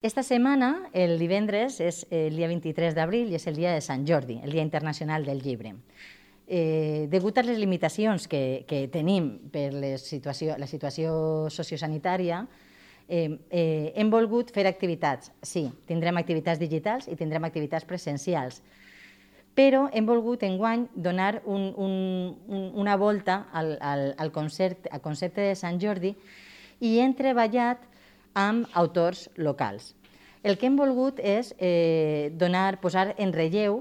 Esta setmana, el divendres, és el dia 23 d'abril i és el dia de Sant Jordi, el Dia Internacional del Llibre. Degut a les limitacions que tenim per la situació sociosanitària, hem volgut fer activitats. Sí, tindrem activitats digitals i tindrem activitats presencials, però hem volgut enguany donar una volta al concepte de Sant Jordi i hem treballat amb autors locals. El que hem volgut és posar en relleu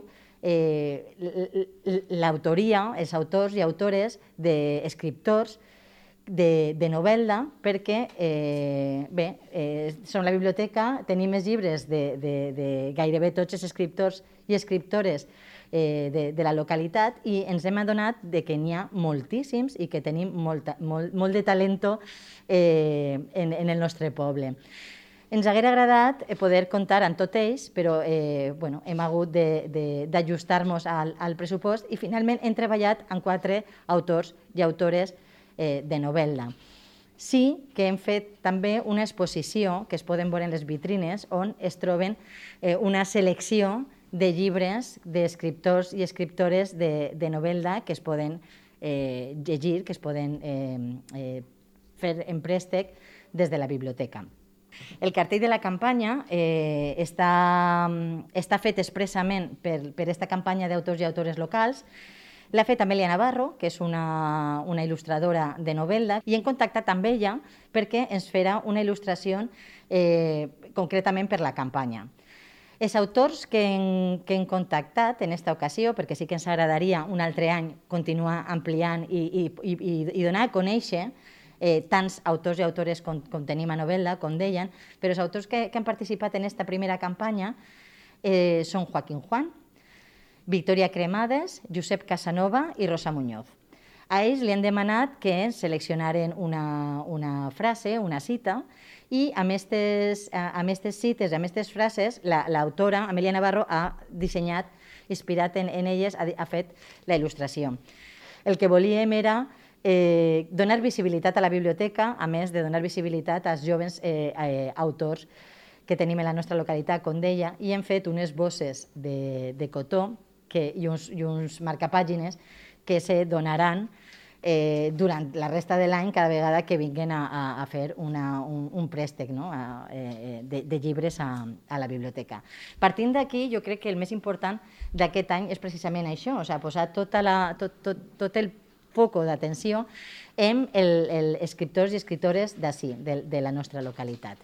l'autoria, els autors i autores d'escriptors de novel·la, perquè som la biblioteca, tenim els llibres de gairebé tots els escriptors i escriptores de la localitat i ens hem adonat que n'hi ha moltíssims i que tenim molt de talento en el nostre poble. Ens hauria agradat poder comptar amb tots ells, però hem hagut d'ajustar-nos al pressupost i finalment hem treballat amb 4 autors i autores de novel·la. Sí que hem fet també una exposició que es poden veure en les vitrines on es troben una selecció de llibres d'escriptors i escriptores de novel·la que es poden llegir, que es poden fer en préstec des de la biblioteca. El cartell de la campanya està fet expressament per aquesta campanya d'autors i autores locals. L'ha fet Amèlia Navarro, que és una il·lustradora de novel·la, i hem contactat amb ella perquè ens farà una il·lustració concretament per la campanya. Els autors que hem contactat en aquesta ocasió, perquè sí que ens agradaria un altre any continuar ampliant i donar a conèixer tants autors i autores com tenim a novel·la, com deien, però els autors que han participat en aquesta primera campanya són Joaquín Juan, Victoria Cremades, Josep Casanova i Rosa Muñoz. A ells li han demanat que seleccionaren una frase, una cita, i amb aquestes cites, amb aquestes frases, l'autora, Amèlia Navarro, ha dissenyat, inspirat en elles, ha fet la il·lustració. El que volíem era donar visibilitat a la biblioteca, a més de donar visibilitat als joves autors que tenim en la nostra localitat, com deia, i hem fet unes bosses de cotó i uns marcapàgines que se donaran durant la resta de l'any cada vegada que vinguin a fer un préstec de llibres a la biblioteca. Partint d'aquí, jo crec que el més important d'aquest any és precisament això, posar tot el foc d'atenció en els escriptors i escriptores d'ací, de la nostra localitat.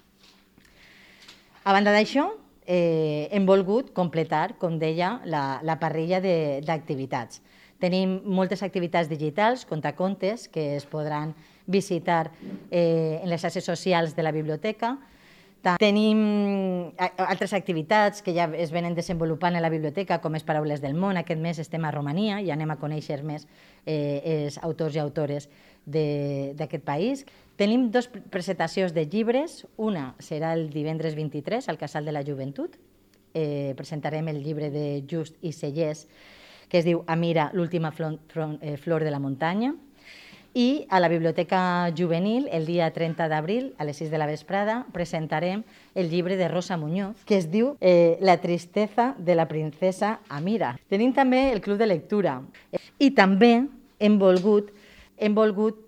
A banda d'això, hem volgut completar, com deia, la parrilla d'activitats. Tenim moltes activitats digitals, contacontes, que es podran visitar en les xarxes socials de la biblioteca. Tenim altres activitats que ja es venen desenvolupant a la biblioteca, com és Paraules del món. Aquest mes estem a Romania i anem a conèixer més els autors i autores d'aquest país. Tenim 2 presentacions de llibres. Una serà el divendres 23 al Casal de la Joventut. Presentarem el llibre de Just i Sellers, que es diu Amira, l'última flor de la muntanya. I a la Biblioteca Juvenil, el dia 30 d'abril, a les 6 de la vesprada, presentarem el llibre de Rosa Muñoz, que es diu La tristeza de la princesa Amira. Tenim també el Club de Lectura. I també hem volgut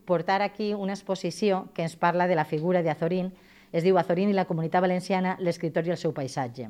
portar aquí una exposició que ens parla de la figura d'Azorín. Es diu Azorín i la Comunitat Valenciana, l'escriptor i el seu paisatge.